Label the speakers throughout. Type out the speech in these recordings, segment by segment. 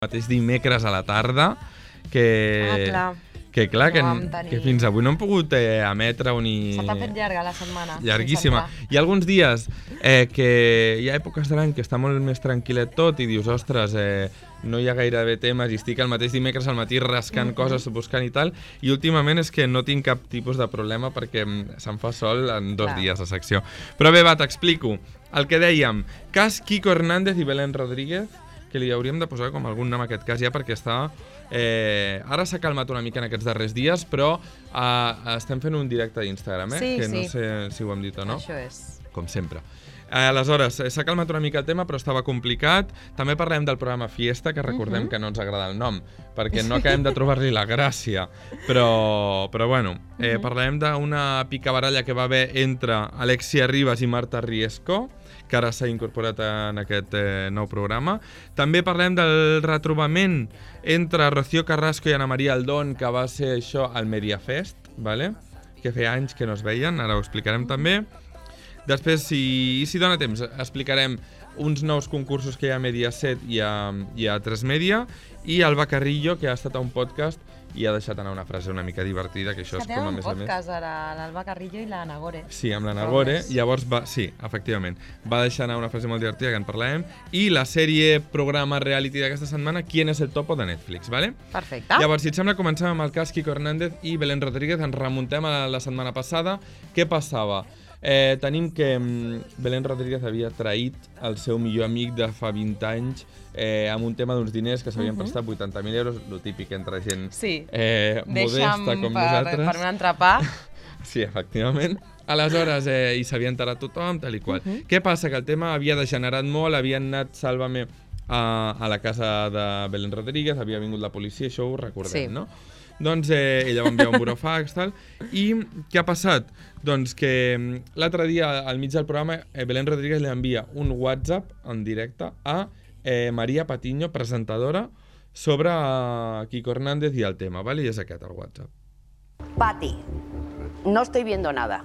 Speaker 1: mateix dimecres a la tarda, que fins avui no hem pogut emetre ni...
Speaker 2: Se t'ha fet llarga la setmana.
Speaker 1: Llarguíssima. Hi ha alguns dies que hi ha èpoques de l'any que està molt més tranquil·let tot i dius, ostres, no hi ha gairebé temes i estic el mateix dimecres al matí rascant coses, buscant i tal, i últimament és que no tinc cap tipus de problema perquè se'm fa sol en 2 dies la secció. Però bé, va, t'explico. El que dèiem, cas Quico Hernández i Belén Rodríguez, que li hauríem de posar com algun nom a aquest cas ja perquè està... ara s'ha calmat una mica en aquests darrers dies, però estem fent un directe d'Instagram, que no sé si ho hem dit o no.
Speaker 2: Això és.
Speaker 1: Com sempre. Aleshores, s'ha calmat una mica el tema, però estava complicat. També parlem del programa Fiesta, que recordem que no ens agrada el nom, perquè no acabem de trobar-li la gràcia. Però bueno, parlarem d'una picabaralla que va haver entre Alexia Ribas i Marta Riesco, que ara s'ha incorporat en aquest nou programa. També parlem del retrobament entre Rocío Carrasco i Ana Maria Aldón, que va ser això al Mediafest, que feia anys que no es veien, ara ho explicarem també. Després, si dona temps, explicarem uns nous concursos que hi ha a Mediaset i a 3 Media, i Alba Carrillo, que ha estat a un podcast i ha deixat anar una frase una mica divertida, que això és com a més a més.
Speaker 2: un podcast ara, l'Alba Carrillo i la Nagore.
Speaker 1: Sí, amb la Nagore, llavors sí, efectivament, va deixar anar una frase molt divertida que en parlarem, i la sèrie programa reality d'aquesta setmana, ¿Quién es el topo?, de Netflix, ¿vale?
Speaker 2: Perfecte.
Speaker 1: Llavors, si et sembla, comencem amb el cas Quico Hernández i Belén Rodríguez, ens remuntem a la setmana passada. Què passava? Tenim que Belén Rodríguez havia traït el seu millor amic de fa 20 anys amb un tema d'uns diners que s'havien prestat 80.000 euros, lo típic entre gent modesta com nosaltres.
Speaker 2: Per un entrepà.
Speaker 1: Sí, efectivament. Aleshores, i s'havia enterat tothom, tal i qual. Què passa? Que el tema havia degenerat molt, havien anat, Sálvame, a la casa de Belén Rodríguez, havia vingut la policia, això ho recordem, no? Doncs ella va enviar un burofax, tal, i què ha passat? Doncs que l'altre dia, al mig del programa, Belén Rodríguez li envia un WhatsApp en directe a María Patiño, presentadora, sobre Quico Hernández y el tema, ¿vale? Y es aquest el WhatsApp.
Speaker 3: Pati, no estoy viendo nada,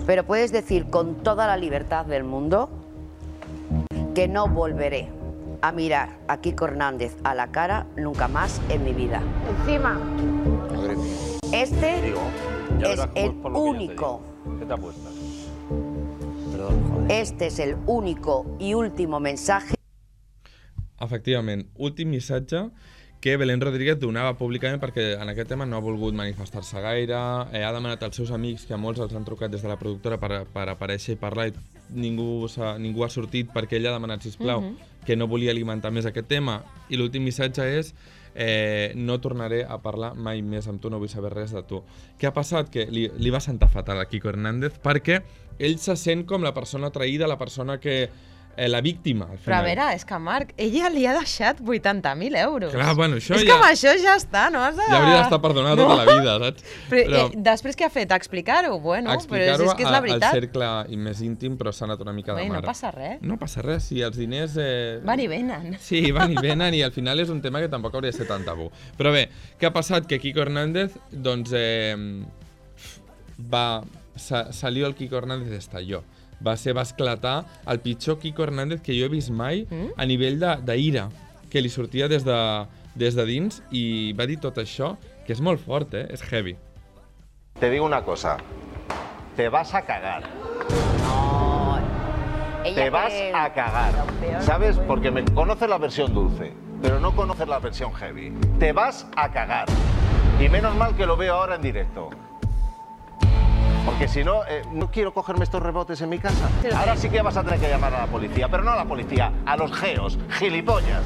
Speaker 3: pero puedes decir con toda la libertad del mundo que no volveré a mirar a Quico Hernández a la cara nunca más en mi vida. Encima, este es el único.
Speaker 4: ¿Qué te apuestas?
Speaker 3: Este es el único y último mensaje.
Speaker 1: Efectivament, últim missatge que Belén Rodríguez donava públicament perquè en aquest tema no ha volgut manifestar-se gaire, ha demanat als seus amics, que molts els han trucat des de la productora per aparèixer i parlar, i ningú ha sortit perquè ella ha demanat, sisplau, que no volia alimentar més aquest tema, i l'últim missatge és no tornaré a parlar mai més amb tu, no vull saber res de tu. Què ha passat? Que li va sentar fatal a Quico Hernández perquè ell se sent com la persona traïda, la persona que... la víctima, al final.
Speaker 2: Però a veure, és que Marc, ella li ha deixat 80.000 euros.
Speaker 1: Clar, bueno, això
Speaker 2: és que amb això ja està, no has de...
Speaker 1: Ja hauria d'estar perdonat tota la vida, saps?
Speaker 2: Però després què ha fet? Explicar-ho? Bueno, però és que és la veritat.
Speaker 1: Al cercle més íntim, però s'ha anat una mica de mare.
Speaker 2: No passa res.
Speaker 1: No passa res, si els diners...
Speaker 2: Van i venen.
Speaker 1: Sí, van i venen, i al final és un tema que tampoc hauria de ser tan tabú. Però bé, què ha passat? Que Quico Hernández, doncs, salió el Quico Hernández estalló. Va esclatar el pitjor Quico Hernández que jo he vist mai a nivell d'ira, que li sortia des de dins, i va dir tot això, que és molt fort, és heavy.
Speaker 4: Te digo una cosa, te vas a cagar.
Speaker 3: No,
Speaker 4: te vas a cagar, ¿sabes? Porque me conoces la versión dulce, pero no conoces la versión heavy. Te vas a cagar. Y menos mal que lo veo ahora en directo. Porque si no, no quiero cogerme estos rebotes en mi casa. Ahora sí que vas a tener que llamar a la policía, pero no a la policía, a los geos, gilipollas.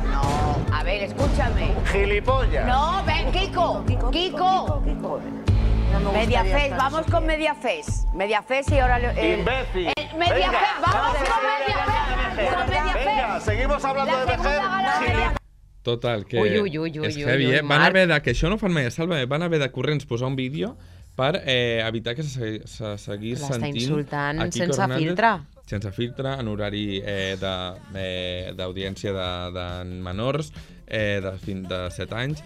Speaker 3: No, a ver, escúchame.
Speaker 4: Gilipollas.
Speaker 3: No, ven, Quico. Quico. Mediafest, vamos con Mediafest. Mediafest y ahora...
Speaker 4: ¡Imbécil!
Speaker 3: Mediafest, vamos con Mediafest.
Speaker 4: Venga, seguimos hablando de Mediafest.
Speaker 1: Total, que és heavy, Van haver de, que això no fan mai a Sálvame, van haver de corrents posar un vídeo per evitar que se seguís sentint
Speaker 2: insultant
Speaker 1: a Quico
Speaker 2: sense
Speaker 1: Hernández,
Speaker 2: filtre.
Speaker 1: sense filtre, en horari d'audiència de menors de 7 anys,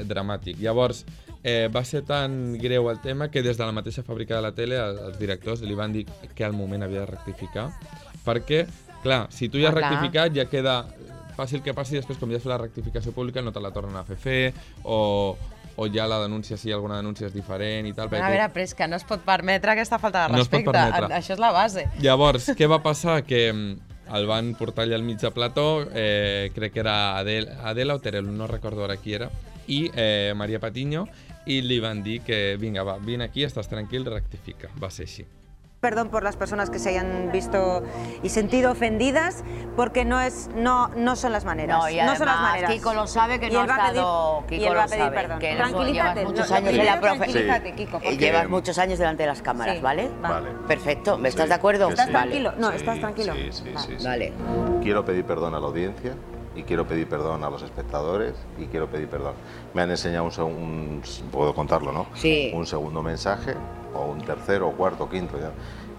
Speaker 1: dramàtic. Llavors, va ser tan greu el tema que des de la mateixa fàbrica de la tele els directors li van dir que al moment havia de rectificar, perquè, clar, si tu ja has rectificat ja queda passi el que passi, després com ja has fet la rectificació pública no te la tornen a fer, o ja la denúncia, si alguna denúncia és diferent i tal.
Speaker 2: A veure, però és que no es pot permetre aquesta falta de
Speaker 1: No es pot
Speaker 2: respecte.
Speaker 1: permetre.
Speaker 2: Això és la base.
Speaker 1: Llavors, què va passar? Que el van portar allà al mig de plató, crec que era Adela o Terelu, no recordo ara qui era, i Maria Patiño, i li van dir que vinga, va, vine aquí, estàs tranquil, rectifica. Va ser així.
Speaker 5: Perdón por las personas que se hayan visto y sentido ofendidas, porque no son las maneras.
Speaker 3: No, y además,
Speaker 5: son las maneras.
Speaker 3: Kiko lo sabe, que
Speaker 5: Y
Speaker 3: no
Speaker 5: él
Speaker 3: ha
Speaker 5: va a
Speaker 3: estado...
Speaker 5: pedir,
Speaker 3: Kiko
Speaker 5: y él
Speaker 3: lo
Speaker 5: va a pedir
Speaker 3: sabe,
Speaker 5: perdón.
Speaker 3: que
Speaker 5: Tranquilízate.
Speaker 3: llevas muchos años en la
Speaker 5: Tranquilízate, Kiko. porque-
Speaker 3: Llevas muchos años delante de las cámaras,
Speaker 5: Sí.
Speaker 3: ¿vale?
Speaker 4: Vale.
Speaker 3: Perfecto, ¿me estás de acuerdo?
Speaker 5: ¿Estás
Speaker 3: Vale.
Speaker 5: tranquilo? No,
Speaker 4: Sí,
Speaker 5: estás tranquilo.
Speaker 4: Sí.
Speaker 3: Vale.
Speaker 4: Quiero pedir perdón a la audiencia y quiero pedir perdón a los espectadores y quiero pedir perdón. Me han enseñado puedo contarlo, ¿no?
Speaker 3: Sí.
Speaker 4: Un segundo mensaje, o un tercero, o cuarto, quinto, ya.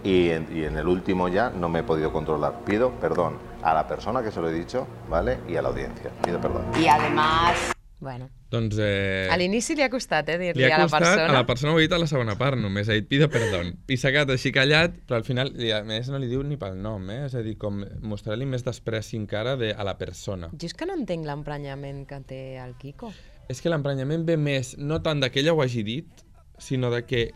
Speaker 4: Y en el último ya no me he podido controlar. Pido perdón a la persona que se lo he dicho, ¿vale? Y a la audiencia. Pido perdón.
Speaker 3: Y además...
Speaker 2: Bueno,
Speaker 1: Doncs
Speaker 2: a l'inici li ha costat,
Speaker 1: li
Speaker 2: dir-li
Speaker 1: ha
Speaker 2: a la
Speaker 1: costat,
Speaker 2: persona.
Speaker 1: a la persona ho ha dit a la segona part només, ha dit pido perdón. I s'ha quedat així callat, però al final, a més, no li diu ni pel nom, és a dir, com mostrar-li més despreci encara a la persona.
Speaker 2: Jo és que no entenc l'emprenyament que té el Kiko.
Speaker 1: És que l'emprenyament ve més, no tant de que ella ho hagi dit, sinó de que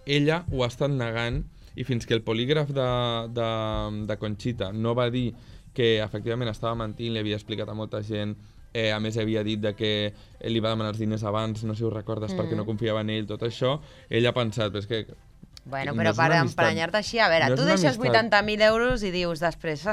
Speaker 1: ella ho ha estat negant i fins que el polígraf de Conxita no va dir que efectivament estava mentint, li havia explicat a molta gent, a més havia dit de que li va demanar els diners abans, no sé si ho recordes, perquè no confiava en ell, tot això, ell ha pensat, però és que...
Speaker 2: Bueno,
Speaker 1: no
Speaker 2: però
Speaker 1: és
Speaker 2: per
Speaker 1: una amistat.
Speaker 2: emprenyar-te així, a veure,
Speaker 1: No és
Speaker 2: tu
Speaker 1: una
Speaker 2: deixes
Speaker 1: amistat.
Speaker 2: 80.000 euros i dius després,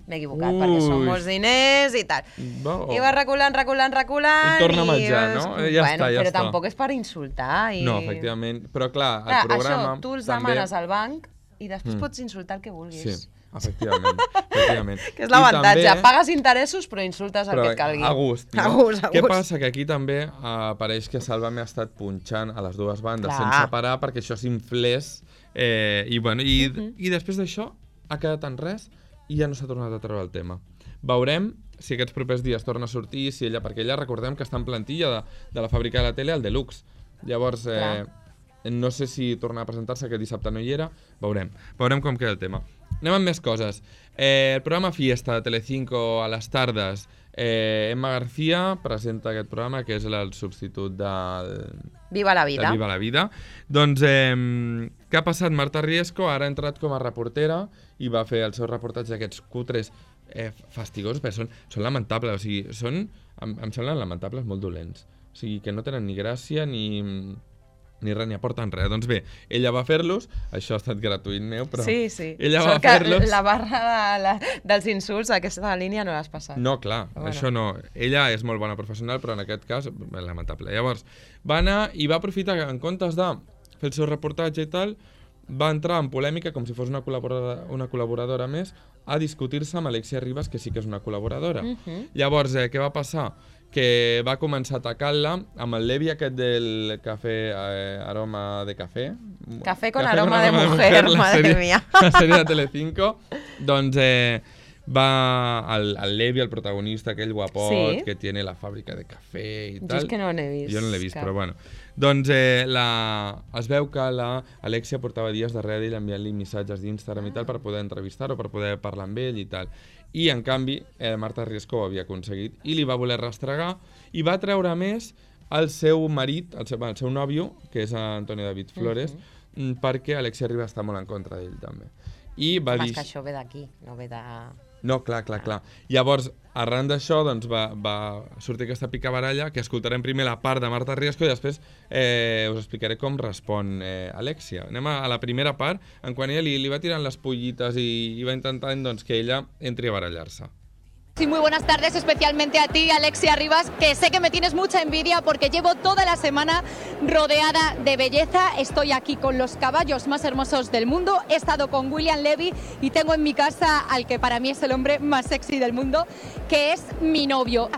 Speaker 2: m'he equivocat, perquè són
Speaker 1: Ui.
Speaker 2: molts diners i tal.
Speaker 1: Bo.
Speaker 2: I vas reculant,
Speaker 1: I torna a menjar, no? Ja
Speaker 2: bueno,
Speaker 1: està, ja
Speaker 2: però
Speaker 1: està.
Speaker 2: tampoc és per insultar. I...
Speaker 1: No, efectivament, però clar,
Speaker 2: Clar,
Speaker 1: el programa...
Speaker 2: això, tu els
Speaker 1: també...
Speaker 2: demanes al banc i després pots insultar el que vulguis.
Speaker 1: Sí, efectivament.
Speaker 2: Que és l'avantatge,
Speaker 1: I també-
Speaker 2: pagues interessos però insultes el
Speaker 1: Però
Speaker 2: que et calgui.
Speaker 1: a gust, no?
Speaker 2: A gust, a
Speaker 1: Què
Speaker 2: gust.
Speaker 1: passa? Que aquí també apareix que Sálvame ha estat punxant a les dues bandes
Speaker 2: Clar.
Speaker 1: sense parar perquè això s'inflés i, bueno, i després d'això ha quedat en res i ja no s'ha tornat a treure el tema. Veurem si aquests propers dies torna a sortir, si ella, perquè ella recordem que està en plantilla de la fàbrica de la tele al Deluxe. Llavors, no sé si torna a presentar-se, que dissabte no hi era, veurem com queda el tema. Anem amb més coses. El programa Fiesta de Telecinco a les tardes, Emma García presenta aquest programa, que és el substitut del
Speaker 2: Viva la vida.
Speaker 1: Viva la vida. Doncs, què ha passat? Marta Riesco ara ha entrat com a reportera i va fer el seu reportatge d'aquests cutres fastigosos, però són lamentables, o sigui, em semblen lamentables, molt dolents. O sigui, que no tenen ni gràcia ni res, ni aporten res. Doncs bé, ella va fer-los, això ha estat gratuït meu, però
Speaker 2: Sí.
Speaker 1: ella va
Speaker 2: Sort que
Speaker 1: fer-los...
Speaker 2: la barra dels insults, aquesta línia no l'has passat.
Speaker 1: No, clar,
Speaker 2: Bueno.
Speaker 1: això no. Ella és molt bona professional, però en aquest cas, lamentable. Llavors, va anar i va aprofitar que en comptes de fer el seu reportatge i tal, va entrar en polèmica, com si fos una col·laboradora més, a discutir-se amb Alexia Ribas, que sí que és una col·laboradora. Llavors, què va passar? Que va començar a atacar-la amb el Levi aquest del cafè, aroma de cafè.
Speaker 2: Café con aroma de mujer, madre mía.
Speaker 1: La sèrie de Telecinco. Doncs el Levi, el protagonista, aquell guapot,
Speaker 2: Sí.
Speaker 1: que tiene la fàbrica de cafè i
Speaker 2: Jo
Speaker 1: tal.
Speaker 2: és que no n'he vist.
Speaker 1: Jo no l'he vist,
Speaker 2: cap.
Speaker 1: però bueno. Doncs es veu que l'Alexia portava dies darrere d'ell enviant-li missatges d'Instagram i tal per poder entrevistar-ho, per poder parlar amb ell i tal. I, en canvi, Marta Riesco ho havia aconseguit i li va voler rastregar i va treure a més el seu marit, el seu nòvio, que és Antonio David Flores, perquè Alexia Ribas està molt en contra d'ell, també. I va
Speaker 2: Home,
Speaker 1: dir...
Speaker 2: és que això ve d'aquí, no ve de...
Speaker 1: No, clar. Llavors, arran d'això, doncs, va sortir aquesta picabaralla, que escoltarem primer la part de Marta Riesco i després us explicaré com respon Alexia. Anem a la primera part, en quan ella li va tirant les pollites i va intentant doncs, que ella entri a barallar-se.
Speaker 6: Sí, muy buenas tardes, especialmente a ti, Alexia Ribas, que sé que me tienes mucha envidia porque llevo toda la semana rodeada de belleza. Estoy aquí con los caballos más hermosos del mundo, he estado con William Levy y tengo en mi casa al que para mí es el hombre más sexy del mundo, que es mi novio.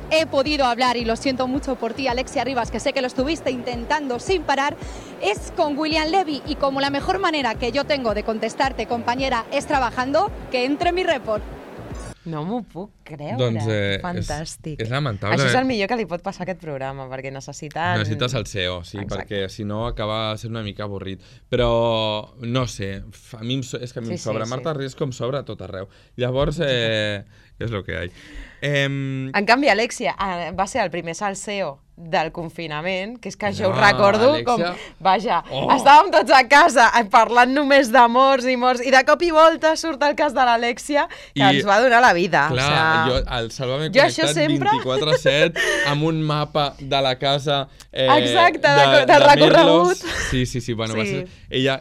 Speaker 6: He podido hablar, y lo siento mucho por ti, Alexia Ribas, que sé que lo estuviste intentando sin parar, es con William Levy, y como la mejor manera que yo tengo de contestarte, compañera, es trabajando, que entre mi report.
Speaker 2: No m'ho puc creure.
Speaker 1: Doncs
Speaker 2: fantàstic.
Speaker 1: és lamentable.
Speaker 2: Això és el millor que li pot passar a aquest programa, perquè necessites
Speaker 1: el CEO, sí,
Speaker 2: Exacte.
Speaker 1: perquè si no acaba sent una mica avorrit. Però, no sé, a mi és que a mi em sobra. Marta Ries com sobra a tot arreu. Llavors, és el que hi ha.
Speaker 2: En canvi, Alexia va ser el primer salseo del confinament, que és que jo ho recordo com, vaja, estàvem tots a casa parlant només de morts, i de cop i volta surt el cas de l'Alexia, que ens va donar la vida.
Speaker 1: Clar, jo el Salva-me connectat 24/7 amb un mapa de la casa
Speaker 2: exacte, de recorregut.
Speaker 1: Sí, bueno, va ser, ella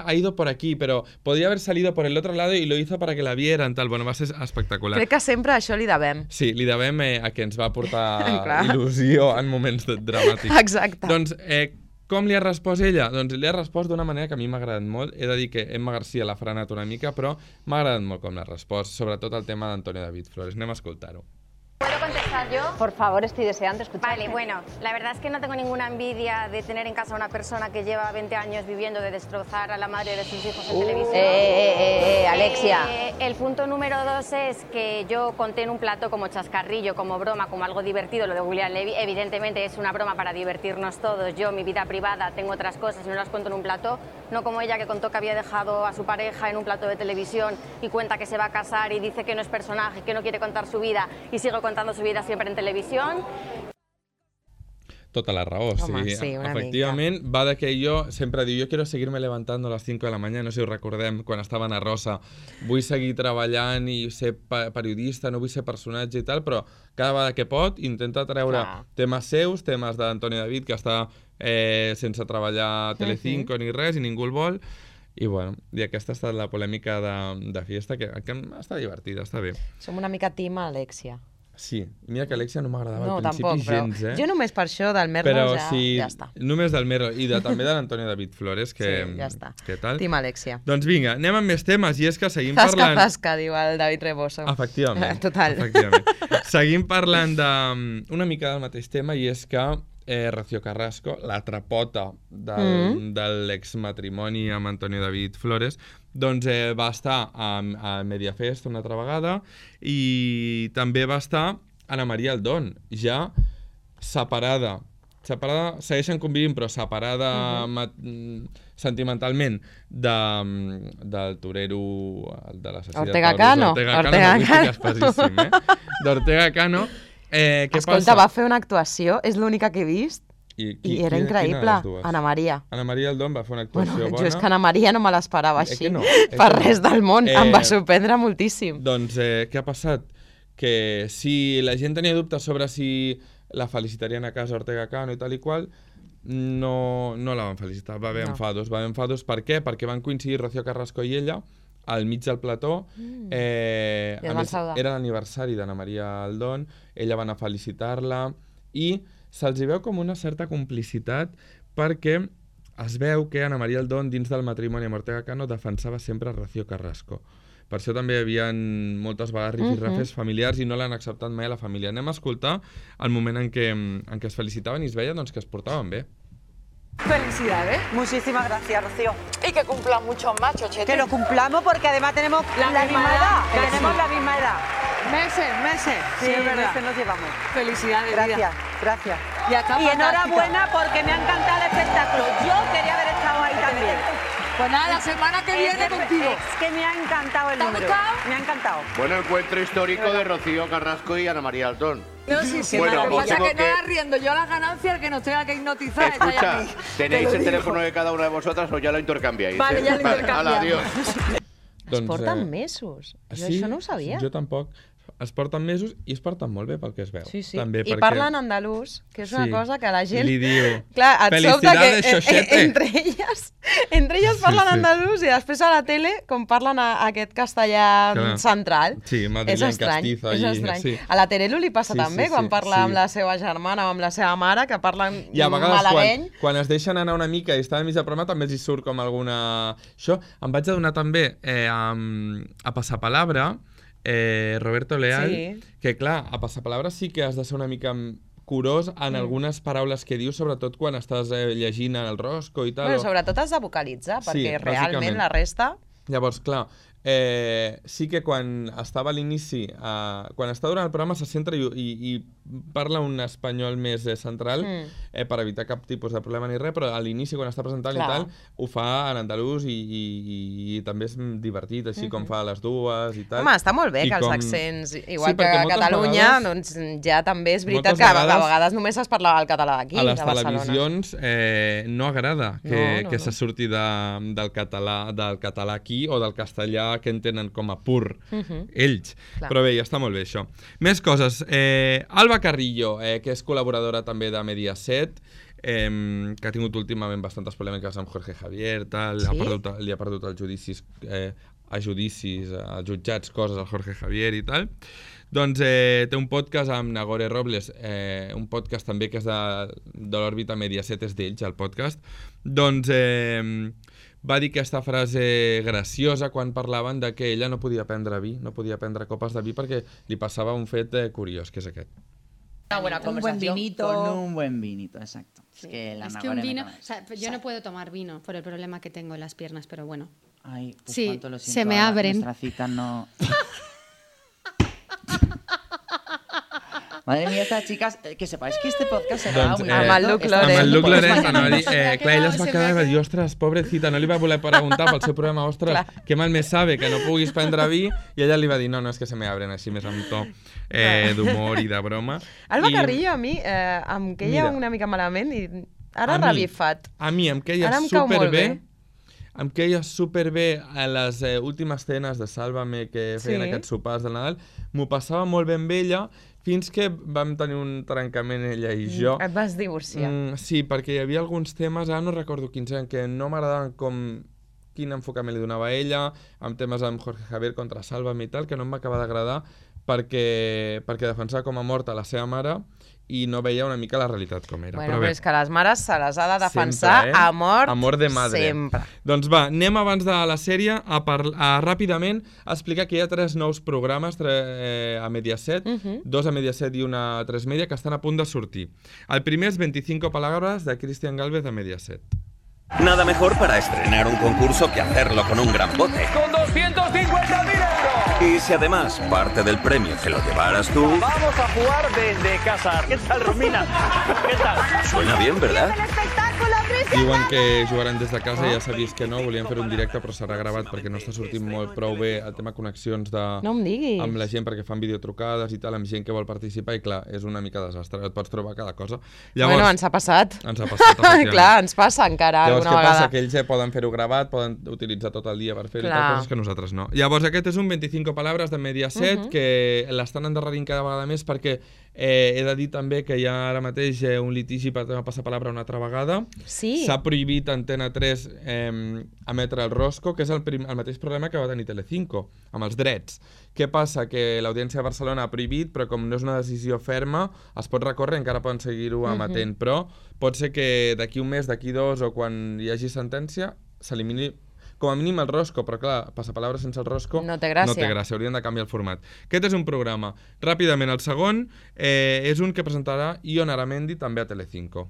Speaker 1: ha ido por aquí, pero podía haber salido por el otro lado y lo hizo para que la vieran, tal. Bueno, va ser espectacular.
Speaker 2: Crec que sempre això li devem.
Speaker 1: Sí, li devem a que ens va portar il·lusió en moments dramàtics.
Speaker 2: Exacte.
Speaker 1: Doncs, com li ha respost ella? Doncs li ha respost d'una manera que a mi m'ha agradat molt. He de dir que Emma García l'ha frenat una mica, però m'ha agradat molt com l'ha respost, sobretot el tema d'Antonio David Flores. Anem a escoltar-ho.
Speaker 7: ¿Puedo contestar yo?
Speaker 6: Por favor, estoy deseando escuchar.
Speaker 7: Vale, bueno, la verdad es que no tengo ninguna envidia de tener en casa a una persona que lleva 20 años viviendo de destrozar a la madre de sus hijos en televisión.
Speaker 3: Alexia.
Speaker 7: El punto número 2 es que yo conté en un plato como chascarrillo, como broma, como algo divertido, lo de William Levy. Evidentemente es una broma para divertirnos todos. Yo, mi vida privada, tengo otras cosas y no las cuento en un plato. No como ella, que contó que había dejado a su pareja en un plato de televisión y cuenta que se va a casar y dice que no es personaje, que no quiere contar su vida y sigue contando su vida siempre en televisión.
Speaker 1: Tota la raó,
Speaker 2: sí,
Speaker 1: efectivament, va de que ell sempre diu, jo quiero seguirme levantando a les 5 de la mañana, no sé si ho recordem, quan estava a Rosa, vull seguir treballant i ser periodista, no vull ser personatge i tal, però cada vegada que pot intenta treure temes seus, temes d'Antonio David, que està sense treballar a Telecinco ni res, i ningú el vol, i bueno, i aquesta ha estat la polèmica de Fiesta, que està divertida, està bé.
Speaker 2: Som una mica team Alexia.
Speaker 1: Sí, mira que Alexia no m'agradava al principi gens,
Speaker 2: Jo només per això del Merlo ja està.
Speaker 1: Només del Merlo i també de l'Antonio David Flores, que
Speaker 2: ja està.
Speaker 1: Què tal?
Speaker 2: Team Alexia.
Speaker 1: Doncs vinga, anem amb més temes, i és que seguim parlant...
Speaker 2: Zasca, diu el David Reboso.
Speaker 1: Efectivament.
Speaker 2: Total.
Speaker 1: Seguim parlant d'una mica del mateix tema, i és que Rocío Carrasco, la trapota de l'exmatrimoni amb Antonio David Flores, doncs va estar a Mediafest una altra vegada, i també va estar Ana María Aldón, ja separada, segueixen convivint, però separada sentimentalment del torero de la societat
Speaker 2: Ortega Cano.
Speaker 1: D'Ortega Cano.
Speaker 2: Escolta, va fer una actuació, és l'única que he vist, i era increïble. Ana María.
Speaker 1: Ana María Aldón va fer una actuació bona.
Speaker 2: Jo és que Ana María no me l'esperava així, per res del món, em va sorprendre moltíssim.
Speaker 1: Doncs què ha passat? Que si la gent tenia dubtes sobre si la felicitarien a casa Ortega Cano i tal i qual, no la van felicitar, va haver enfados. Per què? Perquè van coincidir Rocío Carrasco i ella al mig del plató. A més, era l'aniversari d'Ana María Aldón, ella va anar a felicitar-la i se'ls veu com una certa complicitat, perquè es veu que Ana María Aldón, dins del matrimoni amb Ortega Cano, defensava sempre a Rocío Carrasco. Per això també hi havia moltes vegades rifirrafes familiars i no l'han acceptat mai a la família. Anem a escoltar el moment en què es felicitaven i es veia que es portaven bé.
Speaker 8: Felicidades.
Speaker 5: Muchísimas gracias, Rocío.
Speaker 8: Y que cumplan muchos más, Chochete.
Speaker 5: Que lo cumplamos porque además tenemos la misma edad. Tenemos la misma edad.
Speaker 8: Meses.
Speaker 5: Sí, es verdad. Meses nos llevamos.
Speaker 8: Felicidades.
Speaker 5: Gracias.
Speaker 8: Y
Speaker 5: enhorabuena porque me ha encantado el espectáculo. Yo quería haber estado ahí también.
Speaker 8: Pues nada, la semana que viene contigo.
Speaker 5: Es que me ha encantado el número. Me ha encantado.
Speaker 4: Buen encuentro histórico de Rocío Carrasco y Ana María Aldón.
Speaker 8: No, sí,
Speaker 4: bueno,
Speaker 8: lo que pasa es que no la riendo yo las ganancias, el que nos tenga que hipnotizar.
Speaker 4: Escucha, ¿tenéis el teléfono de cada una de vosotras o ya lo intercambiáis?
Speaker 8: Vale, ya lo intercambiamos.
Speaker 4: Adiós.
Speaker 2: Es porten mesos. Jo això no ho sabia.
Speaker 1: Jo tampoc. Es porten mesos i es porten molt bé pel que es veu.
Speaker 2: Sí.
Speaker 1: També
Speaker 2: I parlen andalús, que és una cosa que la gent...
Speaker 1: Li diu,
Speaker 2: clar, et sobta
Speaker 1: que
Speaker 2: entre elles parlen andalús i després a la tele, com parlen aquest castellà central.
Speaker 1: Sí, madrileny castizo.
Speaker 2: És estrany. A la Terelu li passa també, quan parla amb la seva germana o amb la seva mare, que parlen malagueny.
Speaker 1: I a vegades, quan es deixen anar una mica i estan al mig del programa, també els hi surt com alguna... Això em vaig adonar també a Passapalabra, Roberto Leal, que clar, a Passapalabra sí que has de ser una mica curós en algunes paraules que dius, sobretot quan estàs llegint el Rosco i tal.
Speaker 2: Sobretot has de vocalitzar, perquè realment la resta...
Speaker 1: Llavors, clar, sí que quan estava a l'inici, quan està durant el programa se centra i parla un espanyol més central per evitar cap tipus de problema ni res, però a l'inici quan està presentant i tal, ho fa en andalús i també és divertit, així com fa les dues i tal.
Speaker 2: Home, està molt bé que els accents, igual que a Catalunya, doncs ja també és veritat que a vegades només es parlava el català d'aquí, de Barcelona.
Speaker 1: A les televisions no agrada que se surti del català aquí o del castellà que entenen com a pur ells. Però bé, ja està molt bé això. Més coses. Alba Carrillo, que és col·laboradora també de Mediaset, que ha tingut últimament bastantes polèmiques amb Jorge Javier, tal, li ha perdut els judicis, als jutjats, coses al Jorge Javier i tal. Doncs té un podcast amb Nagore Robles, un podcast també que és de l'òrbita Mediaset, és d'ells, el podcast. Doncs va dir aquesta frase graciosa quan parlaven de que ella no podia prendre vi, no podia prendre copes de vi perquè li passava un fet curiós, que és aquest.
Speaker 9: Una buena conversación. Con un buen vinito, exacto.
Speaker 10: Sí. Es que un vino, o sea, yo no puedo tomar vino por el problema que tengo en las piernas, pero bueno.
Speaker 9: Ay, pues
Speaker 10: sí,
Speaker 9: cuánto lo siento,
Speaker 10: se me abren.
Speaker 9: Nuestra cita no... Madre mía, estas chicas, que sepáis que este podcast serà muy...
Speaker 2: Amb el Luc Lorenz.
Speaker 1: Amb el Luc Lorenz, anava a dir, clar, ella es va quedar i va dir, ostres, pobrecita, no li va voler preguntar pel seu programa, ostres, que mal me sabe que no puguis prendre vi, i ella li va dir, no, és que se me abren, així més amb to d'humor i de broma.
Speaker 2: Alba Carrillo, a mi, em queia una mica malament i ara revifat.
Speaker 1: A mi em queia superbé. Em queia superbé a les últimes cenes de Sálvame que feien aquests sopars de Nadal. M'ho passava molt bé amb ella, fins que vam tenir un trencament ella i jo.
Speaker 2: Et vas divorciar.
Speaker 1: Sí, perquè hi havia alguns temes, ara no recordo quins eren, que no m'agradaven quin enfocament li donava a ella, amb temes amb Jorge Javier contra Sálvame i tal, que no em va acabar d'agradar perquè defensava com a morta la seva mare i no veia una mica la realitat com era.
Speaker 2: Bueno, però és que les mares se les ha de defensar a mort,
Speaker 1: amor de madre.
Speaker 2: Sempre.
Speaker 1: Doncs va, anem abans de la sèrie a ràpidament a explicar que hi ha 3 nous programes a Mediaset, 2 a Mediaset i una a 3 Media, que estan a punt de sortir. El primer és 25 palabras de Cristian Galvez de Mediaset.
Speaker 11: Nada mejor para estrenar un concurso que hacerlo con un gran bote.
Speaker 12: ¡Con 250.000 euros!
Speaker 11: Y si además parte del premio te lo llevaras tú...
Speaker 12: Vamos a jugar desde casa. ¿Qué tal, Romina? ¿Qué tal?
Speaker 11: Suena bien, ¿verdad?
Speaker 1: Diuen que jugaran des de casa, ja s'ha vist que no, volien fer un directe però serà gravat perquè no està sortint molt prou bé el tema connexions amb la gent perquè fan videotrucades i tal, amb gent que vol participar i clar, és una mica desastre, et pots trobar cada cosa.
Speaker 2: Llavors, bueno, ens ha passat.
Speaker 1: Ens ha passat, efectivament.
Speaker 2: Clar, ens passa encara
Speaker 1: llavors,
Speaker 2: alguna vegada.
Speaker 1: Llavors, què passa? Que ells poden fer-ho gravat, poden utilitzar tot el dia per fer-ho i tal, coses que nosaltres no. Llavors, aquest és un 25 palabras de Mediaset que l'estan endarrerint cada vegada més perquè he de dir també que hi ha ara mateix un litigi per passar palabra una altra vegada.
Speaker 2: Sí.
Speaker 1: S'ha prohibit a Antena 3 emetre el Rosco, que és el mateix problema que va tenir Telecinco, amb els drets. Què passa? Que l'Audiència de Barcelona ha prohibit, però com no és una decisió ferma, es pot recórrer i encara poden seguir-ho emetent. Però pot ser que d'aquí un mes, d'aquí 2 o quan hi hagi sentència, s'elimini com a mínim el Rosco, però clar, passapalabra sense el Rosco
Speaker 2: no té gràcia,
Speaker 1: haurien de canviar el format. Aquest és un programa. Ràpidament, el segon és un que presentarà Ion Aramendi també a Telecinco.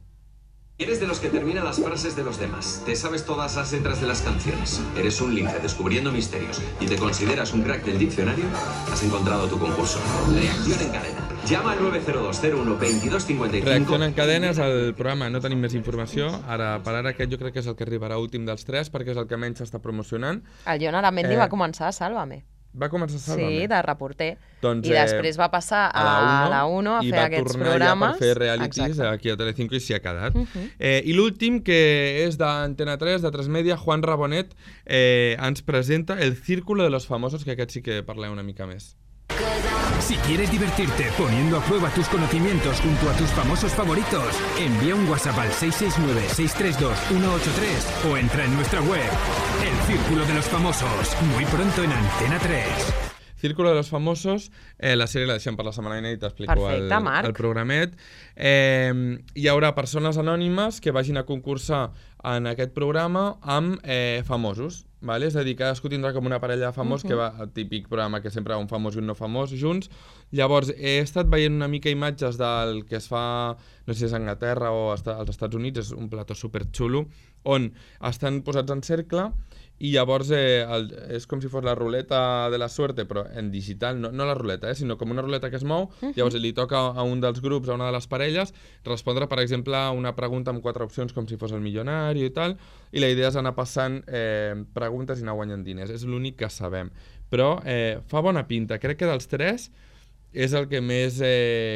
Speaker 13: Eres de los que termina las frases de los demás. Te sabes todas las letras de las canciones. Eres un lince descubriendo misterios y te consideras un crack del diccionario. Has encontrado tu concurso. Reacción en cadena. Llama al 902012255.
Speaker 1: Reacción en cadena és el programa. No tenim més informació. Ara, per ara, aquest jo crec que és el que arribarà últim dels 3 perquè és el que menys s'està promocionant.
Speaker 2: El Ion Aramendi va començar a Sálvame.
Speaker 1: Va començar a Sálvame?
Speaker 2: Sí, de reporter. Doncs, I després va passar a la 1 a fer aquests programes.
Speaker 1: I va tornar ja per fer realities aquí a Telecinco i s'hi ha quedat. I l'últim, que és d'Antena 3, de 3 Media, Juan Rabonet, ens presenta El Círculo de los Famosos, que aquest sí que parlem una mica més.
Speaker 14: Si quieres divertirte poniendo a prueba tus conocimientos junto a tus famosos favoritos, envía un WhatsApp al 669-632-183 o entra en nuestra web. El Círculo de los Famosos, muy pronto en Antena 3.
Speaker 1: Círculo de los Famosos, la sèrie la deixem per la setmana vinent i t'explico el programet. Hi haurà persones anònimes que vagin a concursar en aquest programa amb famosos. Vale? És a dir, cadascú tindrà com una parella de famós que va al típic programa que sempre va un famós i un no famós junts Llavors, he estat veient una mica imatges del que es fa, no sé si és a Anglaterra o als Estats Units, és un plató superxulo, on estan posats en cercle i llavors és com si fos la ruleta de la suerte, però en digital, no la ruleta, sinó com una ruleta que es mou, llavors li toca a un dels grups, a una de les parelles, respondre, per exemple, una pregunta amb 4 opcions com si fos el milionari i tal, i la idea és anar passant preguntes i anar guanyant diners. És l'únic que sabem. Però fa bona pinta. Crec que dels 3 és el que més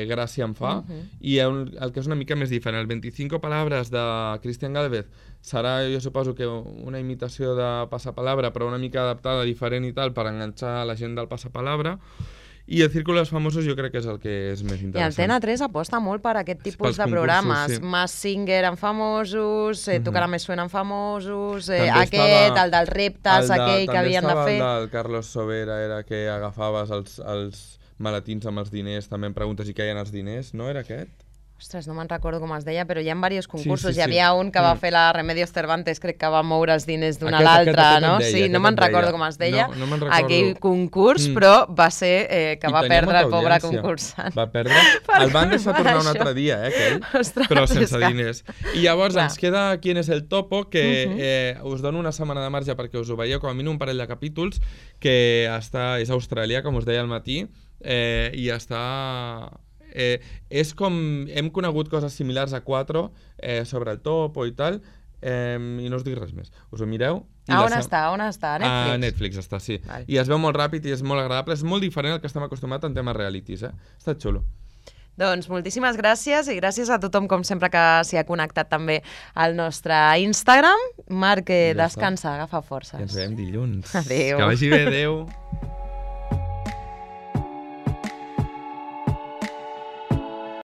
Speaker 1: gràcia em fa i el que és una mica més diferent. El 25 palabras de Cristian Gálvez serà, jo suposo que una imitació de Passapalabra, però una mica adaptada, diferent i tal, per enganxar la gent del Passapalabra. I el Círculo de los Famosos jo crec que és el que és més interessant.
Speaker 2: I Antena 3 aposta molt per aquest tipus de programes. Masked Singer en famosos, Tocarà Més Suena en famosos, aquest, el dels reptes, aquell que havien de fer.
Speaker 1: També estava el del Carlos Sobera, era que agafaves els maletins amb els diners, també em preguntes i queien els diners, no era aquest?
Speaker 2: Ostres, no me'n recordo com es deia, però hi ha diversos concursos. Hi havia un que va fer la Remedios Cervantes, crec que va moure els diners d'una a l'altra, no? Sí, no me'n recordo com es deia. Aquell concurs, però va ser que va perdre el pobre concursant.
Speaker 1: Va perdre. El van deixar tornar un altre dia, aquell, però sense diners. I llavors ens queda Quién es el Topo, que us dono una setmana de marge perquè us ho veieu, com a mínim un parell de capítols, que és australià, com us deia al matí, i està... és com... Hem conegut coses similars a 4 sobre el topo i tal, i no us dic res més. Us ho mireu?
Speaker 2: On està? A Netflix?
Speaker 1: A Netflix està, sí. I es veu molt ràpid i és molt agradable. És molt diferent al que estem acostumats en temes realities, Està xulo.
Speaker 2: Doncs moltíssimes gràcies i gràcies a tothom, com sempre, que s'hi ha connectat també al nostre Instagram. Marc, descansa, agafa forces.
Speaker 1: I ens veiem dilluns.
Speaker 2: Adéu.
Speaker 1: Que vagi bé, adéu.